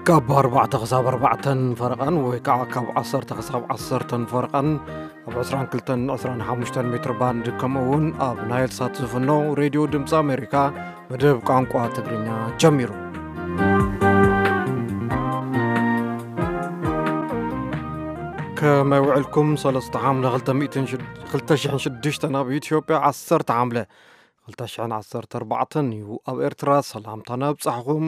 ካብ ኣርባዕተ ክሳብ ኣርባዕተን ፈረቓን ወይ ከዓ ካብ ዓሰርተ ክሳብ ዓሰርተን ፈረቓን ኣብ ዕስራን ክልተን ዕስራን ሓሙሽተን ሜትር ባንድ ከምኡ እውን ኣብ ናይል ሳት ዝፍኖ ሬድዮ ድምፂ ኣሜሪካ መደብ ቋንቋ ትግርኛ ጀሚሩ። ከመይ ውዕልኩም? ሰለስተ ሓምለ ክልተ ሚእትን ሽድ-፣ ክልተ ሽሕን ሽዱሽተን ኣብ ኢትዮጵያ፣ ዓሰርተ ሓምለ ክልተ ሽሕን ዓሰርተ ኣርባዕተን እዩ። ኣብ ኤርትራ ሰላምታ ነብጻሕኹም።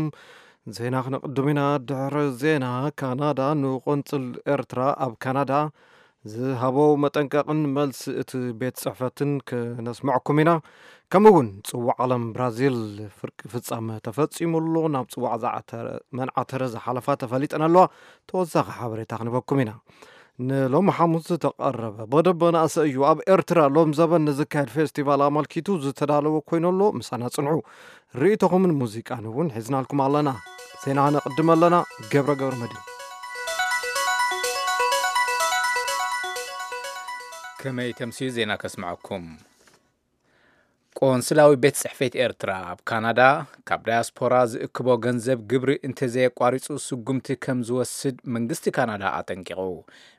ዜና ክነቕድም ኢና። ድሕሪ ዜና፣ ካናዳ ንቆንጽል ኤርትራ ኣብ ካናዳ ዝሃቦ መጠንቀቕን መልሲ እቲ ቤት ጽሕፈትን ክነስምዐኩም ኢና። ከምኡ እውን ጽዋዕ ዓለም ብራዚል ፍርቂ ፍጻመ ተፈጺሙ ኣሎ። ናብ ጽዋዕ ዝዓተረ-፣ መን ዓተረ ዝሓለፋ ተፈሊጠን ኣለዋ። ተወሳኺ ሓበሬታ ክንበኩም ኢና። ንሎሚ ሓሙስ ዝተቐረበ መደብ መናእሰይ እዩ። ኣብ ኤርትራ ሎም ዘበን ንዝካየድ ፌስቲቫል ኣመልኪቱ ዝተዳለወ ኮይኑ ኣሎ። ምሳና ጽንሑ። ርእይቶኹምን ሙዚቃን እውን ሒዝናልኩም ኣለና። ዜና ነቕድም ኣለና። ገብረ ገብረ መድህን። ከመይ ተምስዩ ዜና ከስምዐኩም። ቆንስላዊ ቤት ጽሕፈት ኤርትራ ኣብ ካናዳ፣ ካብ ዳያስፖራ ዝእክቦ ገንዘብ ግብሪ እንተዘየቋሪጹ ስጉምቲ ከም ዝወስድ መንግስቲ ካናዳ ኣጠንቂቑ።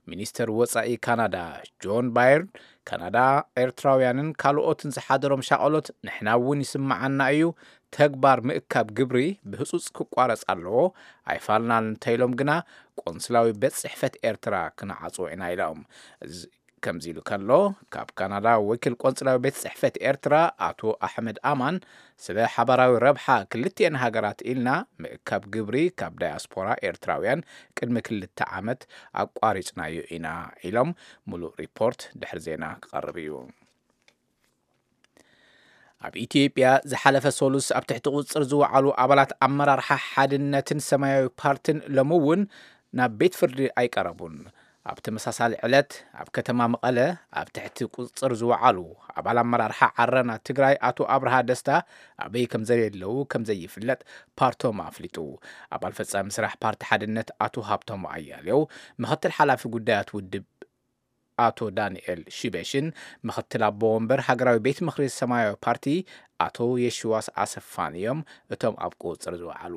ሚኒስተር ወጻኢ ካናዳ ጆን ባየርን፣ ካናዳ ኤርትራውያንን ካልኦትን ዝሓደሮም ሻቐሎት ንሕና እውን ይስምዓና እዩ፣ ተግባር ምእካብ ግብሪ ብህጹጽ ክቋረጽ ኣለዎ፣ ኣይፋልናን እንተኢሎም ግና ቆንስላዊ ቤት ጽሕፈት ኤርትራ ክንዓጽዎ ኢና ኢሎም። እዚ ከምዚ ኢሉ ከሎ፣ ካብ ካናዳ ወኪል ቆንስላዊ ቤት ጽሕፈት ኤርትራ ኣቶ ኣሕመድ ኣማን፣ ስለ ሓባራዊ ረብሓ ክልቲኤን ሃገራት ኢልና ምእካብ ግብሪ ካብ ዳያስፖራ ኤርትራውያን ቅድሚ ክልተ ዓመት ኣቋሪጽናዮ ኢና ኢሎም። ሙሉእ ሪፖርት ድሕሪ ዜና ክቐርብ እዩ። ኣብ ኢትዮጵያ ዝሓለፈ ሰሉስ ኣብ ትሕቲ ቁጽጽር ዝወዓሉ ኣባላት ኣመራርሓ ሓድነትን ሰማያዊ ፓርትን ሎሚ እውን ናብ ቤት ፍርዲ ኣይቀረቡን። ኣብ ተመሳሳሊ ዕለት ኣብ ከተማ መቐለ ኣብ ትሕቲ ቁጽጽር ዝወዓሉ ኣባል ኣመራርሓ ዓረና ትግራይ ኣቶ ኣብርሃ ደስታ ኣበይ ከም ዘየለዉ ከም ዘይፍለጥ ፓርቶም ኣፍሊጡ። ኣባል ፈጻሚ ስራሕ ፓርቲ ሓድነት ኣቶ ሃብቶም ኣያሌው፣ ምኽትል ሓላፊ ጉዳያት ውድብ ኣቶ ዳንኤል ሽበሽን ምኽትል ኣቦ ወንበር ሃገራዊ ቤት ምኽሪ ሰማያዊ ፓርቲ ኣቶ የሽዋስ ኣሰፋን እዮም እቶም ኣብ ቁጽጽር ዝወዓሉ።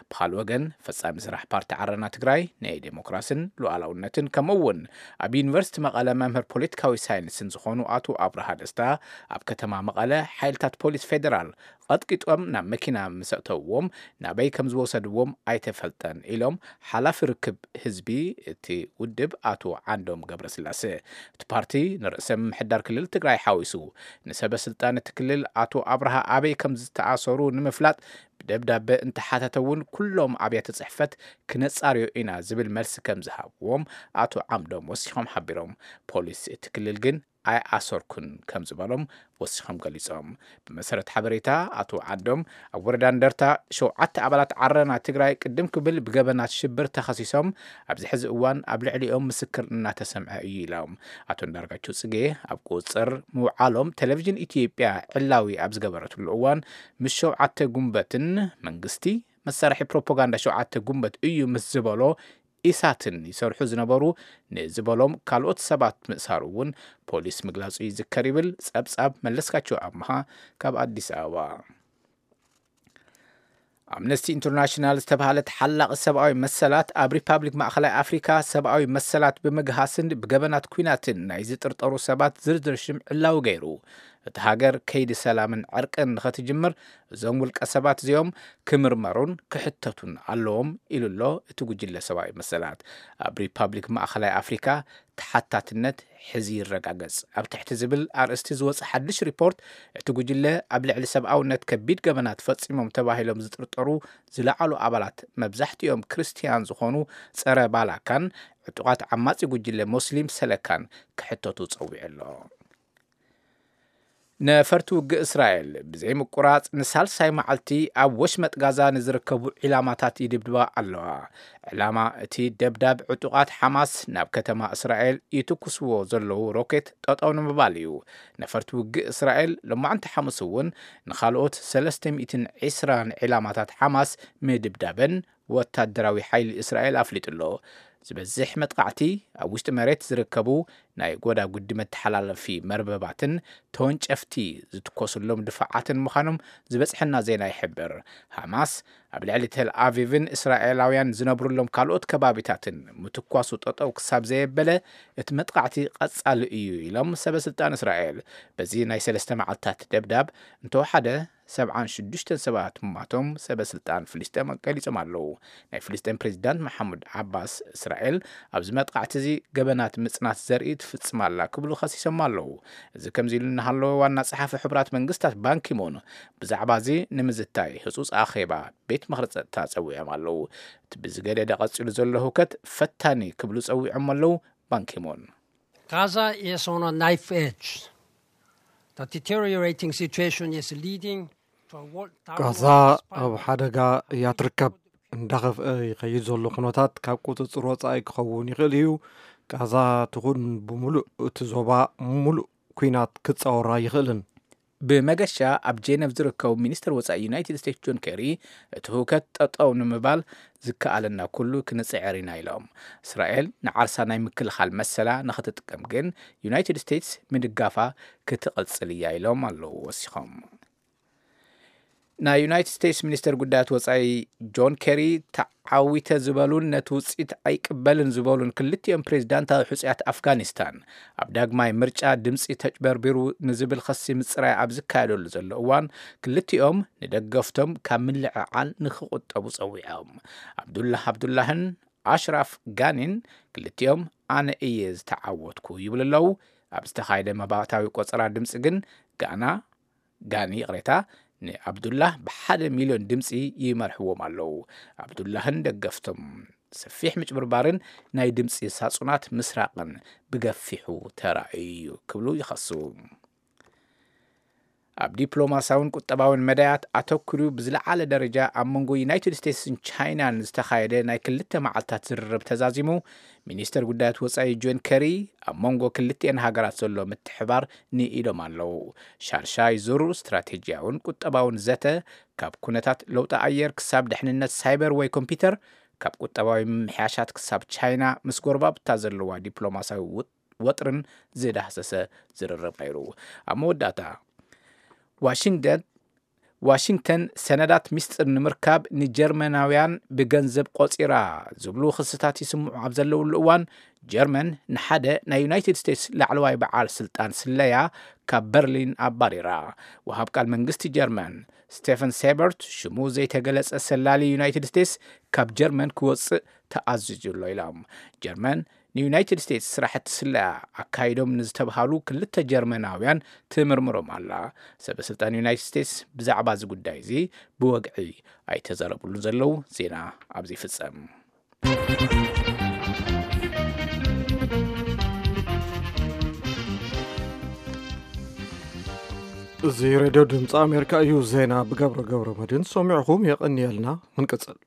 ብኻልእ ወገን፣ ፈጻሚ ስራሕ ፓርቲ ዓረና ትግራይ ናይ ዴሞክራስን ሉዓላውነትን ከምኡ እውን ኣብ ዩኒቨርሲቲ መቐለ መምህር ፖለቲካዊ ሳይንስን ዝኾኑ ኣቶ ኣብርሃ ደስታ፣ ኣብ ከተማ መቐለ ሓይልታት ፖሊስ ፌደራል ቀጥቂጦም ናብ መኪና ምስ ኣእተውዎም፣ ናበይ ከም ዝወሰድዎም ኣይተፈልጠን ኢሎም ሓላፊ ርክብ ህዝቢ እቲ ውድብ ኣቶ ዓንዶም ገብረስላሴ። እቲ ፓርቲ ንርእሰ ምምሕዳር ክልል ትግራይ ሓዊሱ ንሰበ ስልጣን እቲ ክልል ኣቶ ኣብርሃ ኣበይ ከም ዝተኣሰሩ ንምፍላጥ ብደብዳበ እንተሓተተ እውን፣ ኩሎም ኣብያተ ጽሕፈት ክነጻርዮ ኢና ዝብል መልሲ ከም ዝሃብዎም ኣቶ ዓምዶም ወሲኾም ሓቢሮም። ፖሊስ እቲ ክልል ግን ኣይኣሰርኩን ከም ዝበሎም ወሲኾም ገሊጾም። ብመሰረት ሓበሬታ ኣቶ ዓንዶም፣ ኣብ ወረዳ እንደርታ ሸውዓተ ኣባላት ዓረና ትግራይ ቅድም ክብል ብገበናት ሽብር ተኸሲሶም ኣብዚ ሕዚ እዋን ኣብ ልዕሊኦም ምስክር እናተሰምዐ እዩ ኢሎም። ኣቶ እንዳርጋቸው ጽጌ ኣብ ቁጽጽር ምውዓሎም ቴሌቪዥን ኢትዮጵያ ዕላዊ ኣብ ዝገበረትሉ እዋን፣ ምስ ሸውዓተ ጉንበትን መንግስቲ መሳርሒ ፕሮፓጋንዳ ሸውዓተ ጉንበት እዩ ምስ ዝበሎ ኢሳትን ይሰርሑ ዝነበሩ ንዝበሎም ካልኦት ሰባት ምእሳሩ እውን ፖሊስ ምግላጹ ይዝከር ይብል ጸብጻብ መለስካቸው ኣምሃ ካብ ኣዲስ ኣበባ። ኣምነስቲ ኢንተርናሽናል ዝተባህለ ተሓላቒ ሰብኣዊ መሰላት ኣብ ሪፓብሊክ ማእኸላይ ኣፍሪካ ሰብኣዊ መሰላት ብምግሃስን ብገበናት ኲናትን ናይ ዝጥርጠሩ ሰባት ዝርዝር ሽም ዕላዊ ገይሩ። እቲ ሃገር ከይዲ ሰላምን ዕርቅን ንኸትጅምር እዞም ውልቀ ሰባት እዚኦም ክምርመሩን ክሕተቱን ኣለዎም ኢሉ ኣሎ እቲ ጉጅለ ሰብኣዊ መሰላት። ኣብ ሪፓብሊክ ማእኸላይ ኣፍሪካ ተሓታትነት ሕዚ ይረጋገጽ ኣብ ትሕቲ ዝብል ኣርእስቲ ዝወጸ ሓድሽ ሪፖርት፣ እቲ ጉጅለ ኣብ ልዕሊ ሰብኣውነት ከቢድ ገበናት ፈጺሞም ተባሂሎም ዝጥርጠሩ ዝለዓሉ ኣባላት፣ መብዛሕትኦም ክርስትያን ዝኾኑ ጸረ ባላካን ዕጡቓት ዓማጺ ጉጅለ ሞስሊም ሰለካን ክሕተቱ ጸዊዑ ኣሎ። ነፈርቲ ውግእ እስራኤል ብዘይ ምቁራጽ ንሳልሳይ መዓልቲ ኣብ ወሽመጥ ጋዛ ንዝርከቡ ዒላማታት ይድብድባ ኣለዋ። ዕላማ እቲ ደብዳብ ዕጡቓት ሓማስ ናብ ከተማ እስራኤል ይትኩስዎ ዘለዉ ሮኬት ጠጠው ንምባል እዩ። ነፈርቲ ውግእ እስራኤል ሎማዕንቲ ሓሙስ እውን ንኻልኦት ሰለስተ ሚእትን ዕስራን ዒላማታት ሓማስ ምድብዳበን ወታደራዊ ሓይሊ እስራኤል ኣፍሊጡ ኣሎ። ዝበዝሕ መጥቃዕቲ ኣብ ውሽጢ መሬት ዝርከቡ ናይ ጎዳጉዲ መተሓላለፊ መርበባትን ተወንጨፍቲ ዝትኮስሎም ድፋዓትን ምዃኖም ዝበጽሐና ዜና ይሕብር። ሃማስ ኣብ ልዕሊ ተል ኣቪቭን እስራኤላውያን ዝነብሩሎም ካልኦት ከባቢታትን ምትኳሱ ጠጠው ክሳብ ዘየበለ፣ እቲ መጥቃዕቲ ቀጻሊ እዩ ኢሎም ሰበስልጣን እስራኤል። በዚ ናይ ሰለስተ መዓልታት ደብዳብ እንተወሓደ ሰብዓን ሽዱሽተን ሰባት ምማቶም ሰበስልጣን ፍልስጤም ገሊጾም ኣለዉ። ናይ ፍልስጤም ፕሬዚዳንት መሓሙድ ዓባስ፣ እስራኤል ኣብዚ መጥቃዕቲ እዚ ገበናት ምጽናት ዘርኢ ትፍጽም ኣላ ክብሉ ከሲሶም ኣለዉ። እዚ ከምዚ ኢሉ እናሃለወ፣ ዋና ጸሓፊ ሕቡራት መንግስታት ባንኪሙን ብዛዕባ እዚ ንምዝታይ ህጹጽ ኣኼባ ቤት ምኽሪ ጸጥታ ጸዊዖም ኣለዉ። እቲ ብዝገደደ ቀጺሉ ዘሎ ህውከት ፈታኒ ክብሉ ጸዊዖም ኣለዉ ባንኪሙን። Gaza is on a knife edge. The deteriorating situation is leading to a world downward ጋዛ spiral. ኣብ ሓደጋ እያ ትርከብ። እንዳኸፍአ ይኸይድ ዘሎ ኩነታት ካብ ቁፅፅር ወፃኢ ክኸውን ይኽእል እዩ። ጋዛ ትኹን ብምሉእ እቲ ዞባ ምሉእ ኲናት ክፃወር ኣይኽእልን። ብመገሻ ኣብ ጄነቭ ዝርከቡ ሚኒስትር ወፃኢ ዩናይትድ ስቴትስ ጆን ኬሪ፣ እቲ ህውከት ጠጠው ንምባል ዝከኣለና ኩሉ ክንፅዕር ኢና ኢሎም። እስራኤል ንዓርሳ ናይ ምክልኻል መሰላ ንኽትጥቀም ግን ዩናይትድ ስቴትስ ምድጋፋ ክትቕፅል እያ ኢሎም ኣለዉ ወሲኾም። ናይ ዩናይትድ ስቴትስ ሚኒስተር ጉዳያት ወፃኢ ጆን ኬሪ፣ ተዓዊተ ዝበሉን ነቲ ውፅኢት ኣይቅበልን ዝበሉን ክልቲኦም ፕሬዚዳንታዊ ሕፁያት ኣፍጋኒስታን፣ ኣብ ዳግማይ ምርጫ ድምፂ ተጭበርቢሩ ንዝብል ኸሲ ምፅራይ ኣብ ዝካየደሉ ዘሎ እዋን፣ ክልቲኦም ንደገፍቶም ካብ ምልዕዓል ንክቁጠቡ ፀዊዖም። ኣብዱላህ ኣብዱላህን ኣሽራፍ ጋኒን ክልቲኦም ኣነ እየ ዝተዓወትኩ ይብሉ ኣለዉ። ኣብ ዝተኻየደ መባእታዊ ቆፀራ ድምፂ ግን ጋና ጋኒ ይቕሬታ፣ ንኣብዱላህ ብሓደ ሚልዮን ድምፂ ይመርሕዎም ኣለዉ። ኣብዱላህን ደገፍቶም ሰፊሕ ምጭብርባርን ናይ ድምፂ ሳጹናት ምስራቕን ብገፊሑ ተራእዩ እዩ ክብሉ ይኸሱ። ኣብ ዲፕሎማሲያውን ቁጠባውን መዳያት ኣተኩሩ ብዝለዓለ ደረጃ ኣብ መንጎ ዩናይትድ ስቴትስን ቻይናን ዝተኻየደ ናይ ክልተ መዓልታት ዝርርብ ተዛዚሙ። ሚኒስተር ጉዳያት ወፃኢ ጆን ከሪ፣ ኣብ መንጎ ክልቲኤን ሃገራት ዘሎ ምትሕባር ንኢዶም ኣለዉ። ሻርሻይ ዙር ስትራቴጂያውን ቁጠባውን ዘተ፣ ካብ ኩነታት ለውጢ ኣየር ክሳብ ድሕንነት ሳይበር ወይ ኮምፒውተር፣ ካብ ቁጠባዊ ምምሕያሻት ክሳብ ቻይና ምስ ጎረባብታ ዘለዋ ዲፕሎማሲያዊ ውጥ- ወጥርን ዝዳህሰሰ ዝርርብ ነይሩ። ኣብ መወዳእታ ዋሽንግተን ዋሽንግተን ሰነዳት ሚስጥር ንምርካብ ንጀርመናውያን ብገንዘብ ቆጺራ ዝብሉ ክስታት ይስምዑ ኣብ ዘለውሉ እዋን፣ ጀርመን ንሓደ ናይ ዩናይትድ ስቴትስ ላዕለዋይ በዓል ስልጣን ስለያ ካብ በርሊን ኣባሪራ። ወሃብ ቃል መንግስቲ ጀርመን ስቴፈን ሴበርት፣ ሽሙ ዘይተገለጸ ሰላሊ ዩናይትድ ስቴትስ ካብ ጀርመን ክወጽእ ተኣዚዙ ኣሎ ኢሎም። ጀርመን ንዩናይትድ ስቴትስ ስራሕቲ ስለያ ኣካይዶም ንዝተብሃሉ ክልተ ጀርመናውያን ትምርምሮም ኣላ። ሰበ ስልጣን ዩናይትድ ስቴትስ ብዛዕባ እዚ ጉዳይ እዚ ብወግዒ ኣይተዛረብሉን ዘለዉ። ዜና ኣብዚ ይፍጸም። እዚ ሬድዮ ድምፂ ኣሜሪካ እዩ። ዜና ብገብረ ገብረ መድህን ሰሚዕኹም። የቐንየልና። ክንቅፅል።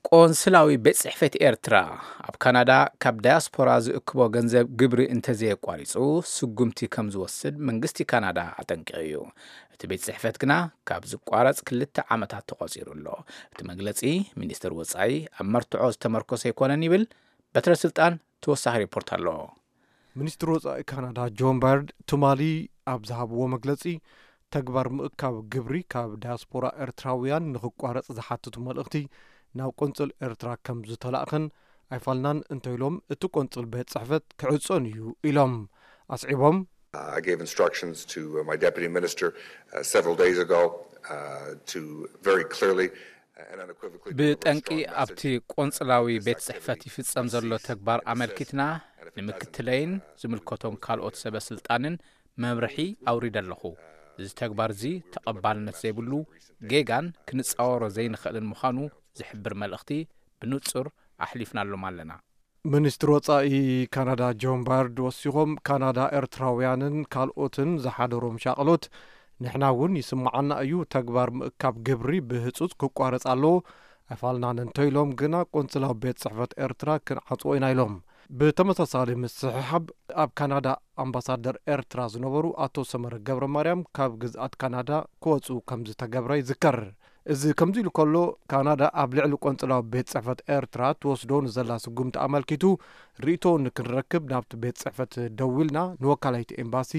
ቆንስላዊ ቤት ጽሕፈት ኤርትራ ኣብ ካናዳ ካብ ዳያስፖራ ዝእክቦ ገንዘብ ግብሪ እንተዘየቋሪጹ ስጉምቲ ከም ዝወስድ መንግስቲ ካናዳ ኣጠንቂቑ እዩ። እቲ ቤት ጽሕፈት ግና ካብ ዝቋረጽ ክልተ ዓመታት ተቖጺሩ ኣሎ። እቲ መግለጺ ሚኒስትር ወጻኢ ኣብ መርትዖ ዝተመርኮሰ ኣይኮነን ይብል። በትረ ስልጣን ተወሳኺ ሪፖርት ኣሎ። ሚኒስትር ወጻኢ ካናዳ ጆን ባርድ ትማሊ ኣብ ዝሃብዎ መግለጺ፣ ተግባር ምእካብ ግብሪ ካብ ዳያስፖራ ኤርትራውያን ንኽቋረጽ ዝሓትቱ መልእኽቲ ናብ ቆንጽል ኤርትራ ከም ዝተላእኸን ኣይፋልናን እንተኢሎም እቲ ቆንጽል ቤት ጽሕፈት ክዕጾን እዩ ኢሎም። ኣስዒቦም፣ I gave instructions to uh, my deputy minister uh, several days ago uh, to very clearly and unequivocally deliver a ብጠንቂ strong ኣብቲ message. ቆንጽላዊ ቤት ጽሕፈት ይፍጸም ዘሎ ተግባር ኣመልኪትና ንምክትለይን ዝምልከቶም ካልኦት ሰበ ስልጣንን መምርሒ ኣውሪደ ኣለኹ። እዚ ተግባር እዚ ተቐባልነት ዘይብሉ ጌጋን ክንጻወሮ ዘይንኽእልን ምዃኑ ዝሕብር መልእኽቲ ብንጹር ኣሕሊፍናሎም ኣለና። ሚኒስትር ወጻኢ ካናዳ ጆን ባርድ ወሲኾም፣ ካናዳ ኤርትራውያንን ካልኦትን ዝሓደሮም ሻቕሎት ንሕና እውን ይስምዓና እዩ። ተግባር ምእካብ ግብሪ ብህጹጽ ክቋረጽ ኣለዎ። ኣይፋልናን እንተኢሎም ግና ቆንስላዊ ቤት ጽሕፈት ኤርትራ ክንዓጽዎ ኢና ኢሎም። ብተመሳሳሊ ምስሕሓብ ኣብ ካናዳ ኣምባሳደር ኤርትራ ዝነበሩ ኣቶ ሰመረ ገብረ ማርያም ካብ ግዝኣት ካናዳ ክወጹ ከም ዝተገብረ ይዝከር። እዚ ከምዚ ኢሉ ከሎ፣ ካናዳ ኣብ ልዕሊ ቆንጽላዊ ቤት ጽሕፈት ኤርትራ ትወስዶ ንዘላ ስጉምቲ ኣመልኪቱ ርእይቶ ንክንረክብ ናብቲ ቤት ጽሕፈት ደዊልና፣ ንወካላይቲ ኤምባሲ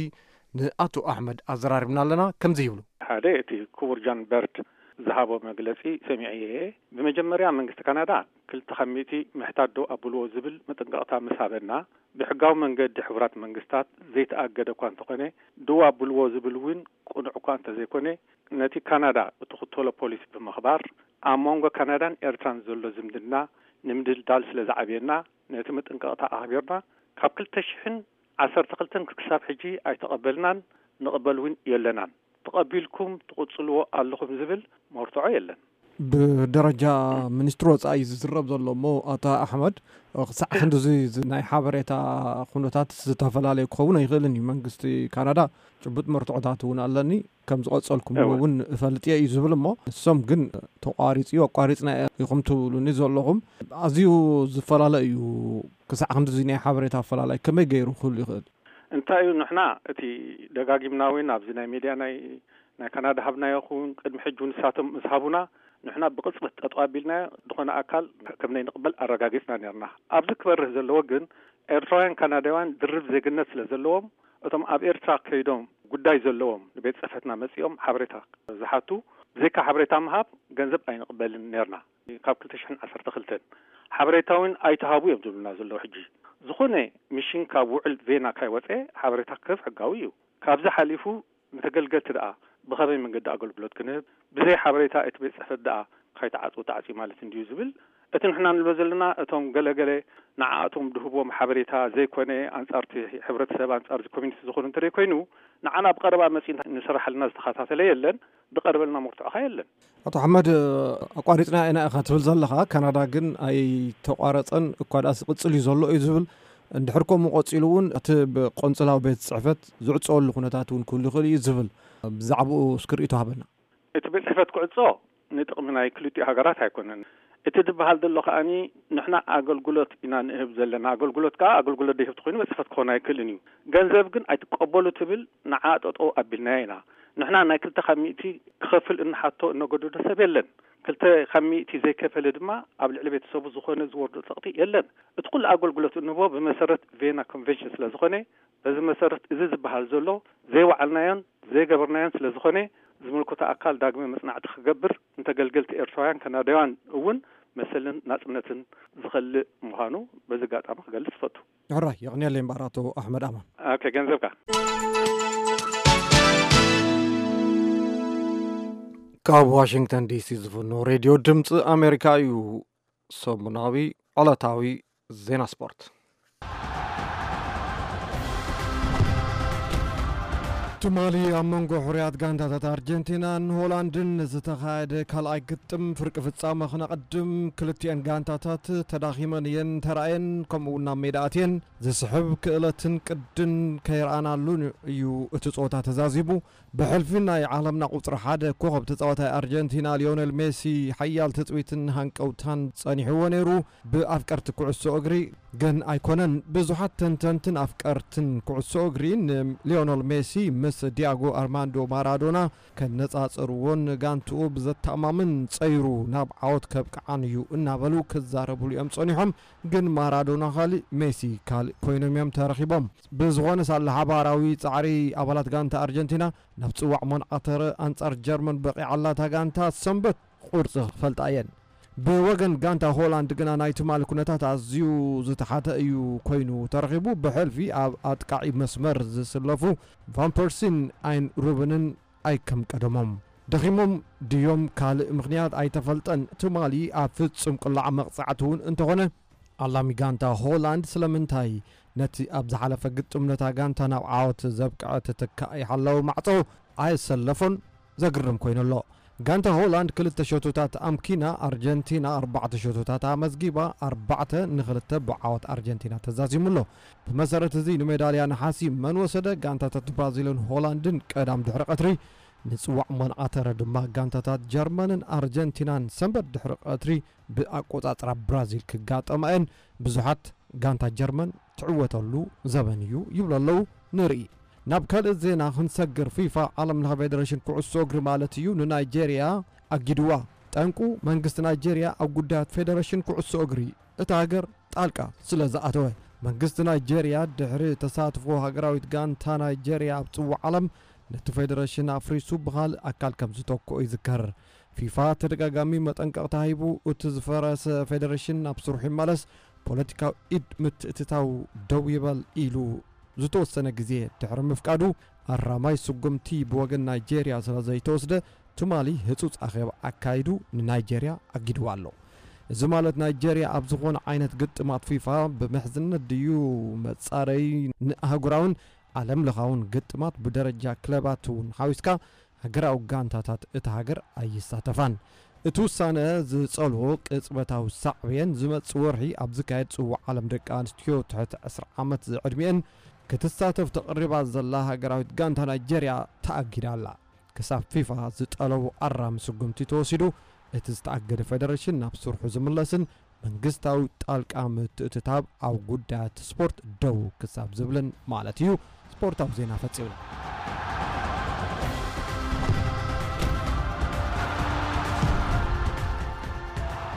ንኣቶ ኣሕመድ ኣዘራሪብና ኣለና። ከምዚ ይብሉ። ሓደ፣ እቲ ክቡር ጃን በርድ ዝሃቦ መግለጺ ሰሚዐ እየ። ብመጀመርያ፣ መንግስቲ ካናዳ ክልተ ካብ ሚእቲ ምሕታት ደው ኣብልዎ ዝብል መጠንቀቕታ ምስ ሃበና፣ ብሕጋዊ መንገዲ ሕቡራት መንግስታት ዘይተኣገደ እኳ እንተኾነ፣ ደው ኣብልዎ ዝብል እውን ቅኑዕ እኳ እንተዘይኮነ፣ ነቲ ካናዳ እትኽተሎ ፖሊሲ ብምኽባር፣ ኣብ መንጎ ካናዳን ኤርትራን ዘሎ ዝምድና ንምድልዳል ስለ ዝዓብየና፣ ነቲ መጠንቀቕታ ኣኽቢርና፣ ካብ ክልተ ሽሕን ዓሰርተ ክልተን ክሳብ ሕጂ ኣይተቐበልናን፣ ንቕበል እውን የለናን። ተቐቢልኩም ትቕጽልዎ ኣለኹም ዝብል መርትዖ የለን። ብደረጃ ሚኒስትሪ ወጻኢ ዝዝረብ ዘሎ እሞ፣ ኣታ ኣሕመድ፣ ክሳዕ ክንድዚ ዝ-፣ ናይ ሓበሬታ ኩነታት ዝተፈላለየ ክኸውን ኣይኽእልን እዩ። መንግስቲ ካናዳ ጭቡጥ መርትዖታት እውን ኣለኒ፣ ከም ዝቐጸልኩምዎ እወ። እውን እፈልጥ እየ እዩ ዝብል እሞ፣ ንሶም ግን ተቋሪጹ እዩ፣ ኣቋሪጽና ኢኹም ትብሉኒ ዘለኹም። ኣዝዩ ዝፈላለ እዩ። ክሳዕ ክንድዚ ናይ ሓበሬታ ኣፈላላይ ከመይ ገይሩ ክህሉ ይኽእል? እንታይ እዩ፣ ንሕና እቲ ደጋጊምና እውን ኣብዚ ናይ ሜድያ ናይ፣ ናይ ካናዳ ሃብናዮ ክውን ቅድሚ ሕጂ እውን ንሳቶም ምስ ሃቡና፣ ንሕና ብቕጽበት ጠጠው ኣቢልናዮ፣ ዝኾነ ኣካል ከም ናይ ንቕበል ኣረጋጊጽና ነርና። ኣብዚ ክበርህ ዘለዎ ግን፣ ኤርትራውያን ካናዳውያን ድርብ ዜግነት ስለ ዘለዎም፣ እቶም ኣብ ኤርትራ ከይዶም ጉዳይ ዘለዎም ንቤት ጽሕፈትና መጺኦም ሓበሬታ ዝሓቱ፣ ብዘይካ ሓበሬታ ምሃብ ገንዘብ ኣይንቕበልን ነርና። ካብ ክልተ ሽሕን ዓሰርተ ክልተን ሓበሬታ እውን ኣይተሃቡ እዮም ዝብሉና ዘለዉ። ሕጂ ዝኾነ ሚሽን ካብ ውዕል ቬና ካይወፀ ሓበሬታ ክህብ ሕጋዊ እዩ። ካብዚ ሓሊፉ ንተገልገልቲ ደኣ ብኸመይ መንገዲ ኣገልግሎት ክንህብ፣ ብዘይ ሓበሬታ እቲ ቤት ጽሕፈት ደኣ ካይተዓጽው ተዓጽዩ ማለት እንድዩ ዝብል፣ እቲ ንሕና ንብሎ ዘለና፣ እቶም ገለገለ ንዓኣቶም ድህብዎም ሓበሬታ ዘይኮነ፣ ኣንጻርቲ ሕብረተሰብ፣ ኣንጻርቲ ኮሚኒቲ ዝኾኑ እንተደይ ኮይኑ፣ ንዓና ብቐረባ መጺኡ ንስራሓልና ዝተኸታተለ የለን፣ ዝቐርበልና መርትዖ ኸኣ የለን። ኣቶ ኣሕመድ፣ ኣቋሪጽና ኢና ኢኻ ትብል ዘለኻ፣ ካናዳ ግን ኣይተቋረጸን፣ እኳ ደኣስ ይቕጽል እዩ ዘሎ እዩ ዝብል። እንድሕር ከምኡ ቀጺሉ እውን፣ እቲ ብቆንጽላዊ ቤት ጽሕፈት ዝዕጸወሉ ኩነታት እውን ክህሉ ይኽእል እዩ ዝብል። ብዛዕባኡ እስኪ ርእይቶ ሃበና። እቲ ቤት ጽሕፈት ክዕጾ ንጥቕሚ ናይ ክልቲኡ ሃገራት ኣይኮነን። እቲ ዝበሃል ዘሎ ከኣኒ፣ ንሕና ኣገልግሎት ኢና ንህብ ዘለና። ኣገልግሎት ከኣ ኣገልግሎት ደይህብ ተኾይኑ ቤት ጽሕፈት ክኾን ኣይክእልን እዩ። ገንዘብ ግን ኣይትቀበሉ ትብል፣ ንዓ ጠጠው ኣቢልናያ ኢና። ንሕና ናይ ክልተ ካብ ሚእቲ ክኸፍል እንሓቶ እነገድዶ ሰብ የለን። ክልተ ካብ ሚእቲ ዘይከፈለ ድማ ኣብ ልዕሊ ቤተሰቡ ዝኾነ ዝወርዶ ጸቕጢ የለን። እቲ ኩሉ ኣገልግሎት እንህቦ ብመሰረት ቬና ኮንቨንሽን ስለ ዝኾነ፣ በዚ መሰረት እዚ ዝበሃል ዘሎ ዘይወዓልናዮን ዘይገበርናዮን ስለ ዝኾነ፣ ዝምልከቶ ኣካል ዳግመ መጽናዕቲ ክገብር፣ ንተገልገልቲ ኤርትራውያን ካናዳውያን እውን መሰልን ናጽነትን ዝኸልእ ምዃኑ በዚ ኣጋጣሚ ክገልጽ እፈቱ። ሕራይ፣ የቕንየለይ እምበኣር ኣቶ ኣሕመድ ኣማን። ኦኬ፣ ገንዘብካ። ካብ ዋሽንግተን ዲሲ ዝፍኖ ሬድዮ ድምፂ ኣሜሪካ እዩ። ሰሙናዊ ዕለታዊ ዜና ስፖርት። ትማሊ ኣብ መንጎ ሕሩያት ጋንታታት ኣርጀንቲናን ሆላንድን ዝተኻየደ ካልኣይ ግጥም ፍርቂ ፍጻመ ክነቐድም፣ ክልቲኤን ጋንታታት ተዳኺመን እየን ተራእየን፣ ከምኡ እውን ናብ ሜዳ ኣትየን። ዝስሕብ ክእለትን ቅድን ከይረኣናሉ እዩ እቲ ጸወታ ተዛዚሙ። ብሕልፊ ናይ ዓለምና ቁጽሪ ሓደ ኮኸብ ተጻዋታይ ኣርጀንቲና ሊዮኔል ሜሲ ሓያል ትጽቢትን ሃንቀውታን ጸኒሕዎ ነይሩ። ብኣፍቀርቲ ኩዕሶ እግሪ ግን ኣይኮነን። ብዙሓት ተንተንትን ኣፍቀርትን ኩዕሶ እግሪ ንሊዮኔል ሜሲ ምስ ዲያጎ ኣርማንዶ ማራዶና ከነጻጽርዎን ጋንትኡ ብዘተኣማምን ጸይሩ ናብ ዓወት ከብቅዓን እዩ እናበሉ ክዛረብሉ እዮም ጸኒሖም። ግን ማራዶና ካልእ፣ ሜሲ ካልእ ኮይኖም እዮም ተረኺቦም። ብዝኾነ ሳላ ሓባራዊ ጻዕሪ ኣባላት ጋንታ ኣርጀንቲና፣ ናብ ጽዋዕ ሞንዓተረ ኣንጻር ጀርመን በቒዓላ እታ ጋንታ ሰንበት ቁርጺ ክፈልጣ እየን። ብወገን ጋንታ ሆላንድ ግና ናይ ትማሊ ኩነታት ኣዝዩ ዝተሓተ እዩ ኮይኑ ተረኺቡ። ብሕልፊ ኣብ ኣጥቃዒ መስመር ዝስለፉ ቫን ፐርሲን ኣይን ሩበንን ኣይከም ቀደሞም ደኺሞም ድዮም ካልእ ምኽንያት ኣይተፈልጠን። ትማሊ ኣብ ፍጹም ቅላዕ መቕጻዕቲ እውን እንተኾነ፣ ኣላሚ ጋንታ ሆላንድ ስለምንታይ ነቲ ኣብ ዝሓለፈ ግጥም ነታ ጋንታ ናብ ዓወት ዘብቅዐ ተተካኢ ሓላዊ ማዕጾ ኣየሰለፎን ዘግርም ኮይኑ ኣሎ። ጋንታ ሆላንድ ክልተ ሸቶታት ኣምኪና፣ ኣርጀንቲና ኣርባዕተ ሸቶታት ኣመዝጊባ፣ ኣርባዕተ ንኽልተ ብዓወት ኣርጀንቲና ተዛዚሙ ኣሎ። ብመሰረት እዚ ንሜዳልያ ነሓሲ መን ወሰደ? ጋንታታት ብራዚልን ሆላንድን ቀዳም ድሕሪ ቀትሪ፣ ንጽዋዕ ሞንዓተረ ድማ ጋንታታት ጀርመንን ኣርጀንቲናን ሰንበት ድሕሪ ቀትሪ ብኣቆጻጽራ ብራዚል ክጋጠማ እየን። ብዙሓት ጋንታ ጀርመን ትዕወተሉ ዘበን እዩ ይብሉ ኣለዉ። ንርኢ። ናብ ካልእ ዜና ክንሰግር፣ ፊፋ፣ ዓለም ለኸ ፌደሬሽን ኩዕሶ እግሪ ማለት እዩ፣ ንናይጄርያ ኣጊድዋ። ጠንቁ፣ መንግስቲ ናይጄርያ ኣብ ጉዳያት ፌደሬሽን ኩዕሶ እግሪ እታ ሃገር ጣልቃ ስለ ዝኣተወ። መንግስቲ ናይጄርያ ድሕሪ ተሳትፎ ሃገራዊት ጋንታ ናይጄርያ ኣብ ጽዋዕ ዓለም፣ ነቲ ፌደሬሽን ኣፍሪሱ ብኻልእ ኣካል ከም ዝተክኦ ይዝከር። ፊፋ ተደጋጋሚ መጠንቀቕታ ሂቡ፣ እቲ ዝፈረሰ ፌደሬሽን ናብ ስርሑ ይመለስ፣ ፖለቲካዊ ኢድ ምትእትታው ደው ይበል ኢሉ ዝተወሰነ ግዜ ድሕሪ ምፍቃዱ፣ ኣራማይ ስጉምቲ ብወገን ናይጄርያ ስለ ዘይተወስደ፣ ትማሊ ህጹጽ ኣኼባ ኣካይዱ ንናይጄርያ ኣጊድዋ ኣሎ። እዚ ማለት ናይጄርያ ኣብ ዝኾነ ዓይነት ግጥማት ፊፋ ብምሕዝነት ድዩ መጻረዪ ንኣህጉራውን ዓለም ለኻውን ግጥማት ብደረጃ ክለባት እውን ሓዊስካ ሃገራዊ ጋንታታት እታ ሃገር ኣይሳተፋን። እቲ ውሳነ ዝጸልዎ ቅጽበታዊ ሳዕቤን ዝመጽእ ወርሒ ኣብ ዝካየድ ጽዋዕ ዓለም ደቂ ኣንስትዮ ትሕቲ ዕስራ ዓመት ዝዕድሚኤን ክትሳተፍ ተቐሪባ ዘላ ሃገራዊት ጋንታ ናይጄርያ ተኣጊዳ ኣላ። ክሳብ ፊፋ ዝጠለቦ ኣራሚ ስጉምቲ ተወሲዱ፣ እቲ ዝተኣገደ ፌደሬሽን ናብ ስርሑ ዝምለስን መንግስታዊ ጣልቃ ምትእትታብ ኣብ ጉዳያት ስፖርት ደው ክሳብ ዝብልን ማለት እዩ። ስፖርታዊ ዜና ፈጺምና።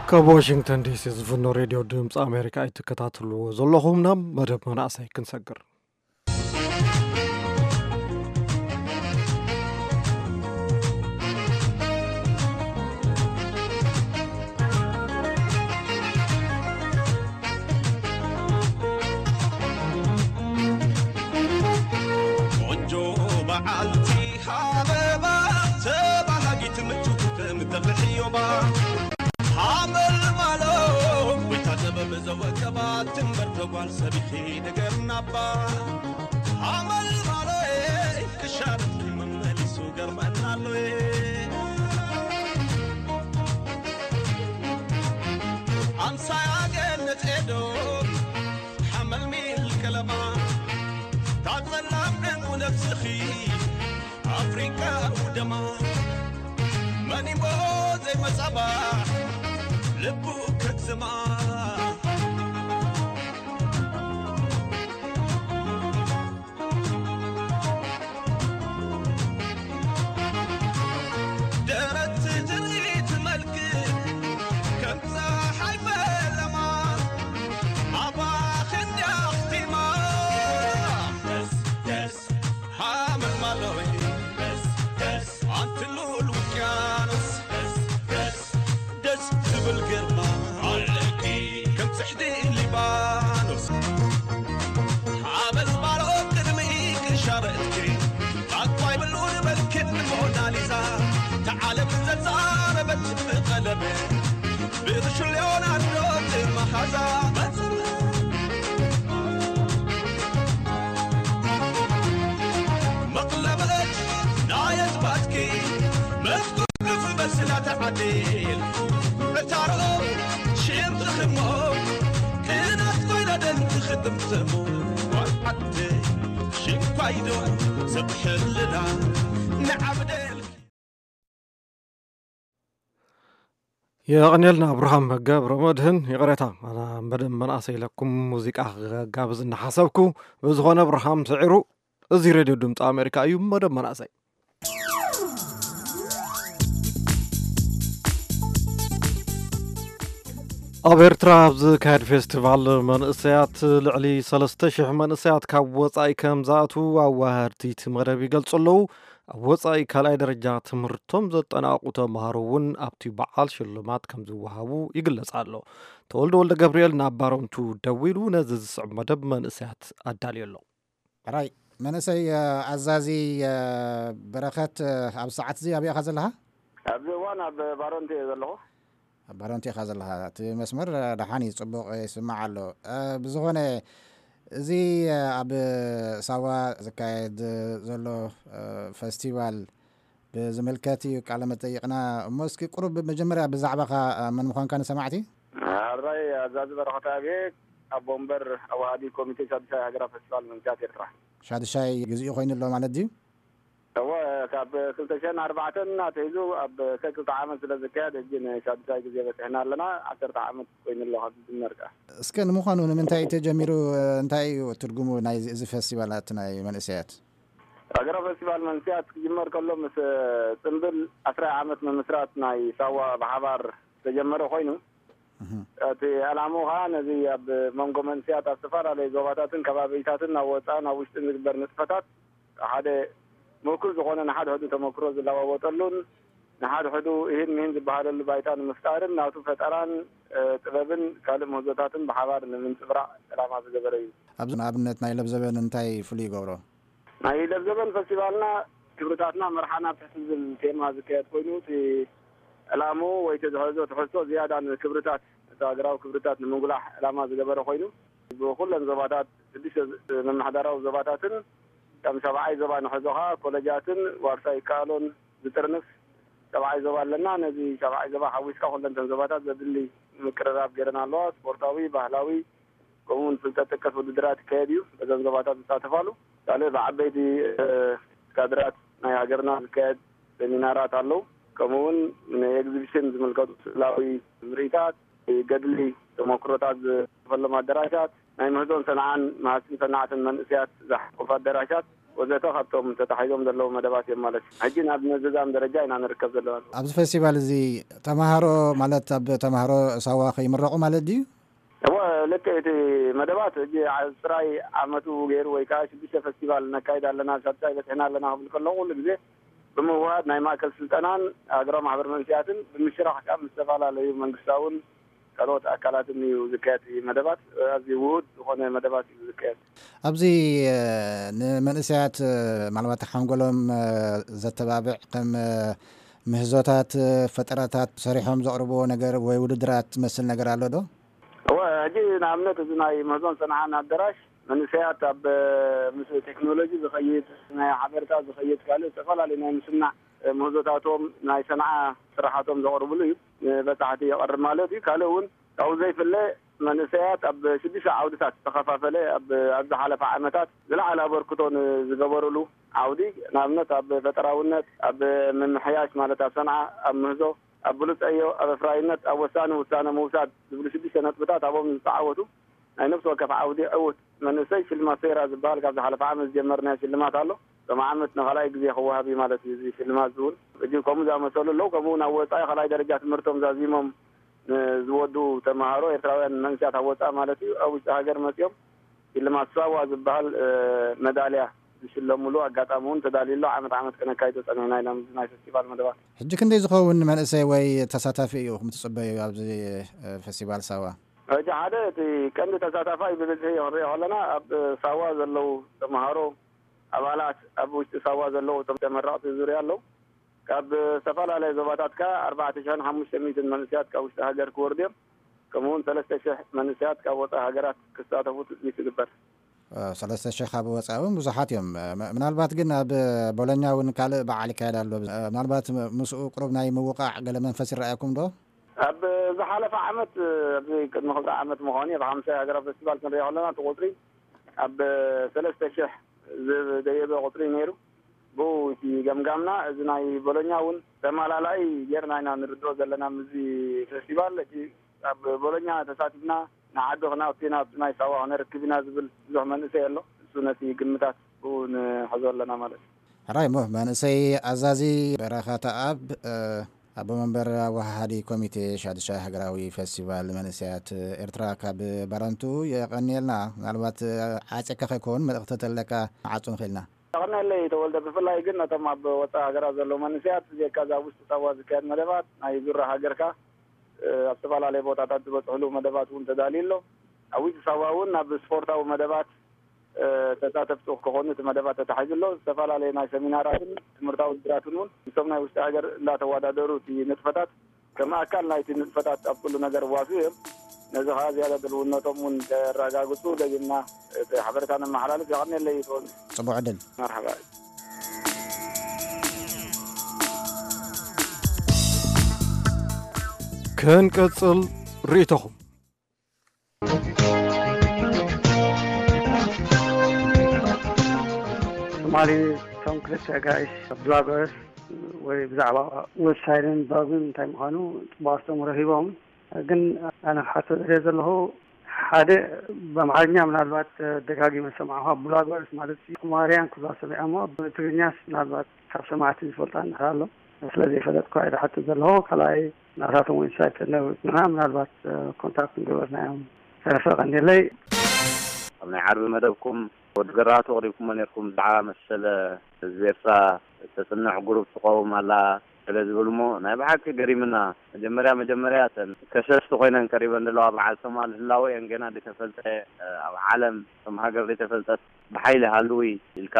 ካብ ዋሽንግተን ዲሲ ዝፍኖ ሬድዮ ድምፂ ኣሜሪካ እትከታተልዎ ዘለኹም፣ ናብ መደብ መናእሰይ ክንሰግር። ቆንጆ በዓልቲ ሃበባ ተባሃጊት ምችኩት ምተፍልሕዮባ ሃመልማሎ ወይታ ጥበብ ዘወቀባ ትንበር ተጓል ሰቢኺ ንገርናባ ሃመልማሎ ክሻርፍ መመሊሱ ገርመናሎ ኣምሳያ ገነት ኤዶም ሓመልሚል ከለማ ታጸላም ዕንቁ ነብስኺ ኣፍሪቃ ውደማ መኒሞ ዘይመጻባ ልቡ ከግዝማ ደረት ትርኢት መልክ ከም ፀሓይ ፈለማ ኣባኽ እንዲያ ኣኽቲማ ደስ ደስ ሃመልማሎይ ደስ ደስ ኣንቲ ልኡል ውቅያኖስ ደስ ደስ ደስ ትብል ግርማ ኣለኪ ከም ጽሕዲ ሊባኖስ ሓበል ባሮ ቅድሚ ቅሻበትኪ ታኳይ ብሉን በልክን ሞናሊዛ ተዓለም ዘዛረበት ብቐለበ ብርሹ ሊዮናርዶ መሃዛ መጽ መቕለበት ናይ ኣዝማድኪ መፍቱሕ በስላ ተዓዲል ዕታሮ ሽም ትኽሞ ክናት ኮይና ደን ትኽጥምትሙ ጓል ዓዲ ሽንኳይዶ ሰብ ሕልና ንዓብደል የቐንየልና ኣብርሃም ገብረ መድህን። ይቕሬታ፣ መደብ መናእሰይ ኢለኩም ሙዚቃ ክጋብዝ እናሓሰብኩ። ብዝኾነ ኣብርሃም ስዒሩ። እዚ ሬድዮ ድምፂ ኣሜሪካ እዩ። መደብ መናእሰይ። ኣብ ኤርትራ ኣብ ዝካየድ ፌስቲቫል መንእሰያት ልዕሊ ሰለስተ ሽሕ መንእሰያት ካብ ወጻኢ ከም ዝኣትዉ ኣዋሃድቲ እቲ መደብ ይገልጹ ኣለዉ። ኣብ ወጻኢ ካልኣይ ደረጃ ትምህርቶም ዘጠናቕቑ ተምሃሮ እውን ኣብቲ በዓል ሽልማት ከም ዝወሃቡ ይግለጽ ኣሎ። ተወልደ ወልደ ገብርኤል ናብ ባሮንቱ ደዊሉ ነዚ ዝስዕብ መደብ መንእሰያት ኣዳልዩ ኣሎ። ሕራይ መንእሰይ፣ ኣዛዚ፣ በረኸት፣ ኣብ ሰዓት እዚ ኣበይ ኢኻ ዘለኻ? ኣብዚ እዋን ኣብ ባሮንቱ እየ ዘለኹ። ኣብ ባሮንቱ ኢኻ ዘለኻ። እቲ መስመር ደሓን እዩ፣ ጽቡቕ ይስማዕ ኣሎ። ብዝኾነ እዚ ኣብ ሳዋ ዝካየድ ዘሎ ፈስቲቫል ብዝምልከት እዩ ቃለ መጠይቕና። እሞ እስኪ ቁሩብ መጀመርያ ብዛዕባኻ መን ምዃንካ ንሰማዕቲ? ሕራይ ኣዛዚ በረኸት ኣብየ፣ ኣቦ ወንበር ኣዋሃዲ ኮሚቴ ሻዱሻይ ሃገራዊ ፈስቲቫል መንእሰያት ኤርትራ። ሻዱሻይ ግዜኡ ኮይኑ ኣሎ ማለት ድዩ? እወ፣ ካብ ክልተ ሽሕን ኣርባዕተን ኣትሒዙ ኣብ ሰክልተ ዓመት ስለ ዝካየድ፣ ሕጂ ንሻዱሻይ ግዜ በጺሕና ኣለና። ዓሰርተ ዓመት ኮይኑ ኣሎ ካብ ዝጅመር ከኣ። እስከ ንምዃኑ ንምንታይ እዩ ተጀሚሩ? እንታይ እዩ ትርጉሙ ናይ እዚ ፈስቲቫላት ናይ መንእሰያት? ሃገራዊ ፈስቲቫል መንስያት ክጅመር ከሎ ምስ ጽምብል ዓስራይ ዓመት ምምስራት ናይ ሳዋ ብሓባር ዝተጀመረ ኮይኑ፣ እቲ ዕላምኡ ኸዓ ነዚ ኣብ መንጎ መንስያት ኣብ ዝተፈላለዩ ዞባታትን ከባቢታትን ኣብ ወፃእን ኣብ ውሽጥን ዝግበር ንጥፈታት ሓደ ምእኩል ዝኾነ ንሓድሕዱ ተመክሮ ዝለዋወጠሉን ንሓድሕዱ ይህን ሚህን ዝበሃለሉ ባይታ ንምፍጣርን ናቱ ፈጠራን ጥበብን ካልእ ምህዞታትን ብሓባር ንምንፅብራቕ ዕላማ ዝገበረ እዩ። ኣብዚ ንኣብነት ናይ ለብዘበን እንታይ ፍሉይ ይገብሮ? ናይ ለብዘበን ፈስቲቫልና ክብርታትና መርሓና ኣብ ትሕቲ ዝብል ቴማ ዝካየድ ኮይኑ እቲ ዕላምኡ ወይ ተዝሕዞ ትሕዝቶ ዝያዳ ንክብርታት እቲ ሃገራዊ ክብርታት ንምንጉላሕ ዕላማ ዝገበረ ኮይኑ ብኩለን ዞባታት ስድሽተ ምምሕዳራዊ ዞባታትን ከም ሻብዓይ ዞባ ንሕዞ ኸዓ ኮለጃትን ዋርሳይ ይከኣሎን ዝጥርንፍ ሻብዓይ ዞባ ኣለና። ነዚ ሻብዓይ ዞባ ሓዊስካ ኩለንተን ዞባታት ዘድሊ ምቅርራብ ገይረን ኣለዋ። ስፖርታዊ፣ ባህላዊ ከምኡውን ፍልጠት ጠቀስ ውድድራት ይካየድ እዩ። በዘን ዞባታት ዝሳተፋሉ ካልእ ብዓበይቲ ካድራት ናይ ሃገርና ዝካየድ ሰሚናራት ኣለዉ። ከምኡውን ንኤግዚቢሽን ዝምልከቱ ስእላዊ ምርኢታት፣ ገድሊ ተመክሮታት ዝፈሎም ኣደራሻት፣ ናይ ምህዞን ሰንዓን መሃዝትን ሰናዕትን መንእሰያት ዝሓቆፈ ኣደራሻት ወዘተ ካብቶም ተታሒዞም ዘለዉ መደባት እዮም ማለት እዩ። ሕጂ ናብ ምዝዛም ደረጃ ኢና ንርከብ ዘለዋ። ኣብዚ ፈስቲቫል እዚ ተማሃሮ ማለት ኣብ ተማሃሮ ሳዋ ከይምረቑ ማለት ድዩ? እወ፣ ልክዕ። እቲ መደባት ሕጂ ዓ- ጥራይ ዓመቱ ገይሩ ወይ ከዓ ሽዱሽተ ፈስቲቫል ነካይድ ኣለና፣ ሻድሻይ በፂሕና ኣለና ክብል ከለኹ ኩሉ ግዜ ብምውሃድ ናይ ማእከል ስልጠናን ሃገራዊ ማሕበር መንስያትን ብምሽራሕ ከዓ ምስ ዝተፈላለዩ መንግስታውን ካልኦት ኣካላትን እዩ ዝካየድ። መደባት ኣዝዩ ውሁድ ዝኾነ መደባት እዩ ዝካየድ። ኣብዚ ንመንእሰያት ምናልባት ሓንጎሎም ዘተባብዕ ከም ምህዞታት ፈጠራታት ሰሪሖም ዘቕርብዎ ነገር ወይ ውድድራት ትመስል ነገር ኣሎ ዶ? እወ፣ ሕጂ ንኣብነት እዚ ናይ ምህዞን ሰንዓን ኣደራሽ መንእሰያት ኣብ ምስ ቴክኖሎጂ ዝኸይድ ናይ ሓበሬታ ዝኸይድ ካልእ ዝተፈላለዩ ናይ ምስናዕ ምህዞታቶም ናይ ሰንዓ ስራሓቶም ዘቕርብሉ እዩ። ንበፃሕቲ የቐርብ ማለት እዩ። ካልእ እውን ካብኡ ዘይፍለ መንእሰያት ኣብ ሽዱሽተ ዓውድታት ዝተኸፋፈለ ኣብ ኣብ ዝሓለፈ ዓመታት ዝለዓለ ኣበርክቶ ንዝገበሩሉ ዓውዲ ንኣብነት ኣብ ፈጠራውነት፣ ኣብ ምምሕያሽ ማለት ኣብ ሰንዓ፣ ኣብ ምህዞ፣ ኣብ ብሉፅ ዕዮ፣ ኣብ ኣፍራይነት፣ ኣብ ወሳኒ ውሳነ ምውሳድ ዝብሉ ሽዱሽተ ነጥብታት ኣብኦም ዝተዓወቱ ናይ ነፍሲ ወከፍ ዓውዲ ዕውት መንእሰይ ሽልማት ሴራ ዝበሃል ካብ ዝሓለፈ ዓመት ዝጀመርናዮ ሽልማት ኣሎ። ሎም ዓመት ንኻልኣይ ግዜ ክወሃብ እዩ ማለት እዩ። እዚ ሽልማት እዚ እውን ሕጂ ከምኡ ዝኣመሰሉ ኣለዉ። ከምኡ እውን ኣብ ወፃኢ ካልኣይ ደረጃ ትምህርቶም ዛዚሞም ንዝወዱ ተምሃሮ ኤርትራውያን መንእሰያት ኣብ ወፃኢ ማለት እዩ ኣብ ውሽጢ ሃገር መፂኦም ሽልማት ሳዋ ዝበሃል መዳልያ ዝሽለሙሉ ኣጋጣሚ እውን ተዳልዩ ኣሎ። ዓመት ዓመት ከነካይዶ ፀኒሕና ኢና ምስ ናይ ፈስቲቫል መደባት። ሕጂ ክንደይ ዝኸውን መንእሰይ ወይ ተሳታፊ እዩ ትፅበዩ ኣብዚ ፈስቲቫል ሳዋ? ሕጂ ሓደ እቲ ቀንዲ ተሳታፋይ ብብዝሒ ክንሪኦ ከለና ኣብ ሳዋ ዘለዉ ተምሃሮ ኣባላት ኣብ ውሽጢ ሳዋ ዘለዉ እቶም ተመረቕቲ ዙርያ ኣለዉ። ካብ ዝተፈላለየ ዞባታት ከኣ ኣርባዕተ ሽሕን ሓሙሽተ ሚእትን መንእሰያት ካብ ውሽጢ ሃገር ክወርዱ እዮም። ከምኡውን ሰለስተ ሽሕ መንእሰያት ካብ ወፃኢ ሃገራት ክሳተፉ ትፅቢት ይግበር። ሰለስተ ሽሕ ካብ ወፃኢ እውን ብዙሓት እዮም። ምናልባት ግን ኣብ ቦሎኛ እውን ካልእ በዓል ይካየድ ኣሎ። ምናልባት ምስኡ ቅሩብ ናይ ምውቃዕ ገለ መንፈስ ይረኣየኩም ዶ? ኣብ ዝሓለፈ ዓመት ኣብዚ ቅድሚ ክልተ ዓመት ምዃኑ እዩ። ካብ ሓምሳይ ሃገራዊ ፈስቲቫል ክንሪኦ ከለና እቲ ቁፅሪ ኣብ ሰለስተ ሽሕ ዝደየበ ቁፅሪ ነይሩ። ብኡ እቲ ገምጋምና እዚ ናይ ቦሎኛ እውን ተማላላይ ጌርና ኢና ንርድኦ ዘለና። ምስዚ ፈስቲቫል እቲ ኣብ ቦሎኛ ተሳቲፍና ንዓዲ ክነእቱና ኣብቲ ናይ ሳዋ ክነርክብ ኢና ዝብል ብዙሕ መንእሰይ ኣሎ። እሱ ነቲ ግምታት ብኡ ንሕዞ ኣለና ማለት እዩ። ሕራይ እሞ መንእሰይ ኣዛዚ በረኸተኣብ ኣቦ መንበር ኣወሃሃዲ ኮሚቴ ሻድሻይ ሃገራዊ ፈስቲቫል መንእሰያት ኤርትራ ካብ ባረንቱ የቐንየልና። ምናልባት ዓፂካ ከይከውን መልእኽቲ ተለካ ዓፁ ንኽእልና። ተቐነለይ ተወልደ። ብፍላይ ግን ነቶም ኣብ ወፃኢ ሃገራት ዘለዉ መንእሰያት ብጀካ እዛ ኣብ ውሽጢ ሳዋ ዝካየድ መደባት ናይ ዙራ ሃገርካ ኣብ ዝተፈላለየ ቦታታት ዝበፅሕሉ መደባት እውን ተዳልዩ ኣሎ። ኣብ ውሽጢ ሳዋ እውን ናብ ስፖርታዊ መደባት ተሳተፍቲ ክኾኑ እቲ መደባት ተታሒዙ ኣሎ። ዝተፈላለዩ ናይ ሰሚናራትን ትምህርታዊ ውድድራትን እውን ምስቶም ናይ ውሽጢ ሃገር እንዳተወዳደሩ እቲ ንጥፈታት ከም ኣካል ናይቲ ንጥፈታት ኣብ ኩሉ ነገር ዋሱ እዮም። ነዚ ከዓ ዝያዳ ድልውነቶም እውን ከረጋግፁ ደጊምና እቲ ሓበሬታ ነመሓላልፍ። የቐንየለይ ይትወል። ፅቡቅ ዕድል። መርሓባ። ከንቀጽል ርእይቶኹም። ትማሊ እቶም ክልተ ጋይስ ብላገርስ ወይ ብዛዕባ ዌብሳይትን ብሎግን እንታይ ምዃኑ ጽቡቕ ኣስተምህሮ ሂቦም። ግን ኣነ ክሓቶ ዝደልየ ዘለኹ ሓደ ብኣምሓርኛ ምናልባት ደጋጊመ ሰማዕኳ፣ ቡላጎርስ ማለት ቁማርያን ክብላ ሰሚዐ፣ እሞ ብትግርኛስ ምናልባት ካብ ሰማዕቲ ዝፈልጣ እንድሕር ኣሎ፣ ስለ ዘይፈለጥኳ እየ ዝሓትት ዘለኹ። ካልኣይ ናታቶም ዌብሳይት ተነብብና ምናልባት ኮንታክት ንገበርና እዮም። ተረፈ ቀንዴለይ። ኣብ ናይ ዓርቢ መደብኩም ወዲ ገራህቱ ኣቕሪብኩሞ ነይርኩም፣ ብዛዕባ መሰለ ህዝቢ ኤርትራ ተጽንዕ ግሩፕ ትቐውም ኣላ ስለ ዝብል እሞ ናይ ብሓቂ ገሪምና። መጀመርያ መጀመርያ እተን ከሰስቲ ኮይነን ቀሪበን ዘለዋ በዓል ሶማል ህላወ እየን ገና ዘይተፈልጠ፣ ኣብ ዓለም ከም ሃገር ዘይተፈልጠት ብሓይሊ ሃልዊ ኢልካ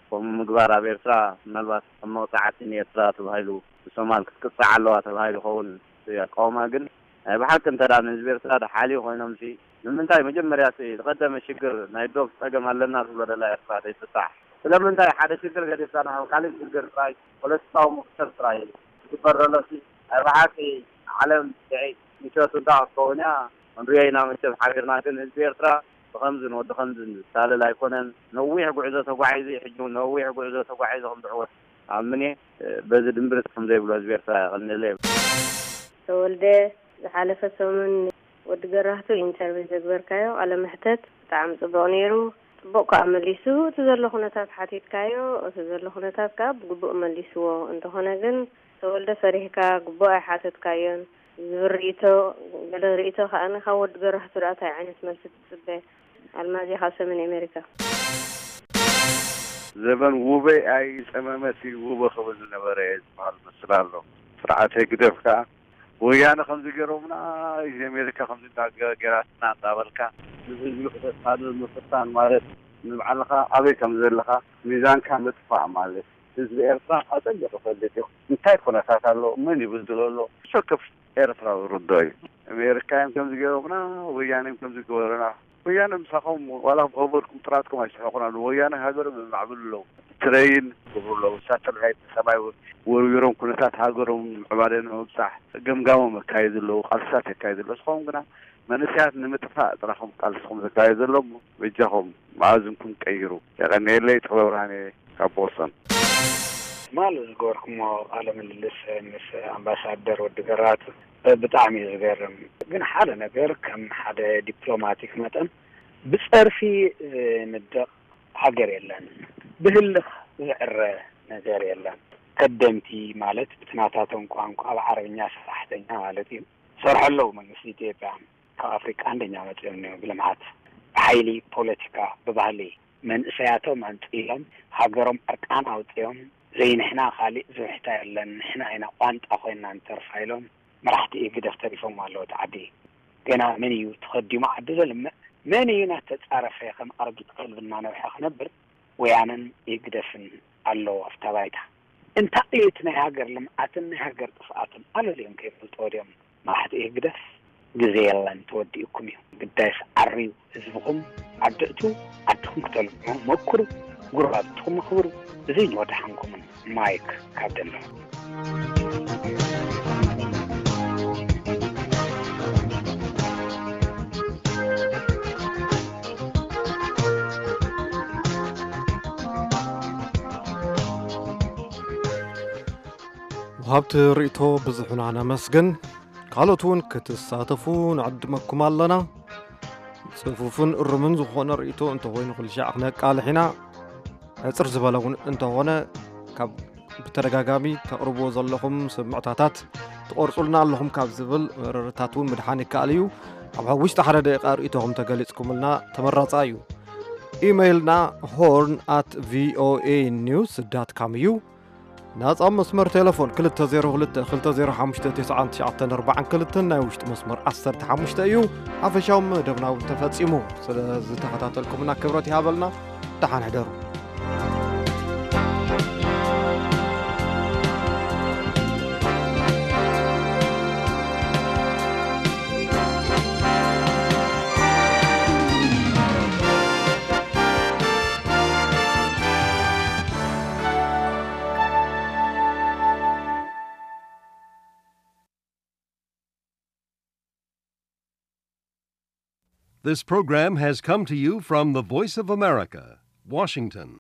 ከምኡ ምግባር ኣብ ኤርትራ ምናልባት ከም መቕጻዕቲ ንኤርትራ ተባሂሉ ብሶማል ክትቅጻዕ ኣለዋ ተባሂሉ ይኸውን። እቲ ኣቃውማ ግን ናይ ብሓቂ እንተ ደኣ ንህዝቢ ኤርትራ ደሓልዩ ኮይኖምሲ ንምንታይ መጀመርያ እቲ ዝቐደመ ሽግር ናይ ዶብ ጸገም ኣለና ትብሎ ደላ ኤርትራ ዘይፍታሕ? ስለምንታይ ሓደ ሽግር ገዲፍካ ናብ ካልእ ሽግር ጥራይ ፖለቲካዊ ምኽሰብ ጥራይ ዝግበር ዘሎሲ ናይ ብሓቂ ዓለም ስዒት ምሸቱ እንዳ ክትከውን እያ። ክንሪኦ ኢና መቸም ሓቢርና፣ ግን ህዝቢ ኤርትራ ብኸምዝን ወዲ ኸምዝን ዝታለል ኣይኮነን። ነዊሕ ጉዕዞ ተጓዒዙ እዩ፣ ሕጂ እውን ነዊሕ ጉዕዞ ተጓዒዙ ከም ዝዕወት ኣምን እየ። በዚ ድምብርት ከም ዘይብሎ ህዝቢ ኤርትራ የቐንየለይ። ተወልደ፣ ዝሓለፈ ሰሙን ወዲ ገራህቱ ኢንተርቪው ዘግበርካዮ ቃለ መሕተት ብጣዕሚ ጽቡቕ ነይሩ። ጽቡቕ ከኣ መሊሱ፣ እቲ ዘሎ ኩነታት ሓቲትካዮ፣ እቲ ዘሎ ኩነታት ከኣ ብግቡእ መሊስዎ። እንተኾነ ግን ተወልደ ፈሪህካ ግቡእ ኣይሓተትካዮን። ዝብል ርእይቶ፣ ገለ ርእይቶ ከኣ ካብ ወዲ ገራህቱ ደኣ እንታይ ዓይነት መልሲ ትጽበ? ኣልማዝ እየ ካብ ሰሜን ኣሜሪካ። ዘበን ውበይ ኣይጸመመት እዩ ውበ ክብል ዝነበረ እየ ዝበሃል መስል ኣሎ። ስርዓት ህግደፍ ከኣ ወያነ ከምዚ ገይሮምና፣ እዚ ኣሜሪካ ከምዚ እንዳ ገ-፣ ገይራትና እንዳበልካ ንህዝቢ ክተታልል ምፍታን ማለት ንባዕልኻ ኣበይ ከም ዘለኻ ሚዛንካ ምጥፋእ ማለት። ህዝቢ ኤርትራ ኣጸቢቑ ይፈልጥ እዩ። እንታይ ኩነታት ኣሎ፣ መን ይብድሎ ኣሎ፣ ሰክፍ ኤርትራዊ ርዶ እዩ። ኣሜሪካ እዮም ከምዚ ገይሮምና፣ ወያነ እዮም ከምዚ ገበሩና። ወያነ ምሳኹም ዋላ ብኸበድኩም ጥራትኩም ኣይስሕቑን ኣለዉ። ወያነ ሃገሮም የማዕብሉ ኣለዉ። ትረይን ይገብሩ ኣለዉ። ሳተላይት ንሰማይ ወርዊሮም ኩነታት ሃገሮም ምዕባለ ንምብጻሕ ገምጋሞም የካይዱ ኣለዉ፣ ቃልስታት የካይዱ ኣለዉ። ንስኹም ግና መንእሰያት ንምጥፋእ ጥራኹም ቃልስኹም ዘካየዱ ዘሎ እሞ በጃኹም መኣዝንኩም ቀይሩ። የቐንየለይ። ጥበብ ብርሃነ ካብ ቦስተን። ትማሊ ዝገበርኩሞ ቃለ ምልልስ ምስ ኣምባሳደር ወዲ ገራቱ ብጣዕሚ እዩ ዝገርም። ግን ሓደ ነገር ከም ሓደ ዲፕሎማቲክ መጠን ብጸርፊ ዝንደቕ ሃገር የለን፣ ብህልኽ ዝዕረ ነገር የለን። ከደምቲ ማለት ብቲ ናታቶም ቋንቋ ብዓረብኛ ሰራሕተኛ ማለት እዩ። ሰርሑ ኣለዉ መንግስቲ ኢትዮጵያ። ካብ ኣፍሪቃ እንደኛ መጺኦም እኒኦ ብልምዓት፣ ብሓይሊ፣ ፖለቲካ፣ ብባህሊ መንእሰያቶም ኣምጺኦም ሃገሮም ዕርቃን ኣውጺኦም ዘይንሕና ካሊእ ዝውሕታ የለን ንሕና ኢና ቋንጣ ኮይንና ንተርፋ ኢሎም መራሕቲ ኢህግደፍ ተሪፎም ኣለዉ እቲ ዓዲ። ገና መን እዩ ተኸዲሙ ዓዲ ዘልምዕ? መን እዩ እናተጻረፈ ከም ኣረጊት ከልቢ እናነውሐ ክነብር? ወያነን ኢህግደፍን ኣለዉ ኣብታ ባይታ። እንታይ እዩ እቲ ናይ ሃገር ልምዓትን ናይ ሃገር ጥፍኣትን ኣለልዮም ከይፈልጥዎ ድዮም? መራሕቲ ህግደፍ ግዜ የለን፣ ተወዲኡኩም እዩ። ግዳይስ ዓርዩ ህዝብኹም ዓዲ እቱ፣ ዓድኹም ክተልምዑ መኩሩ፣ ጉረባብትኹም ኣኽብሩ። እዚ ንወድሓንኩምን። ማይክ ካብ ደንቨር። ወሃብቲ ርእይቶ ብዙሕና ነመስግን። ካልኦት እውን ክትሳተፉ ንዕድመኩም ኣለና። ጽፉፍን እሩምን ዝኾነ ርእይቶ እንተኾይኑ ኩልሻዕ ክነቃልሕ ኢና። ሕጽር ዝበለ እውን እንተኾነ ካብ ብተደጋጋሚ ተቕርብዎ ዘለኹም ስምዕታታት ትቖርጹልና ኣለኹም ካብ ዝብል መረረታት እውን ምድሓን ይከኣል እዩ። ኣብ ውሽጢ ሓደ ደቂቃ ርእይቶኹም ተገሊጽኩምልና ተመራጻ እዩ። ኢመይልና ሆርን ኣት ቪኦኤ ኒውስ ዳት ካም እዩ። ናጻ መስመር ቴሌፎን ክልተ ዜሮ ክልተ ክልተ ዜሮ ሓሙሽተ ተስዓን ትሽዓተን ኣርባዓን ክልተን ናይ ውሽጢ መስመር ዓሰርተ ሓሙሽተ እዩ። ሓፈሻዊ መደብና እውን ተፈጺሙ። ስለ ዝተኸታተልኩምና ክብረት ይሃበልና። ደሓን ሕደሩ። This program has come to you from the Voice of America, Washington.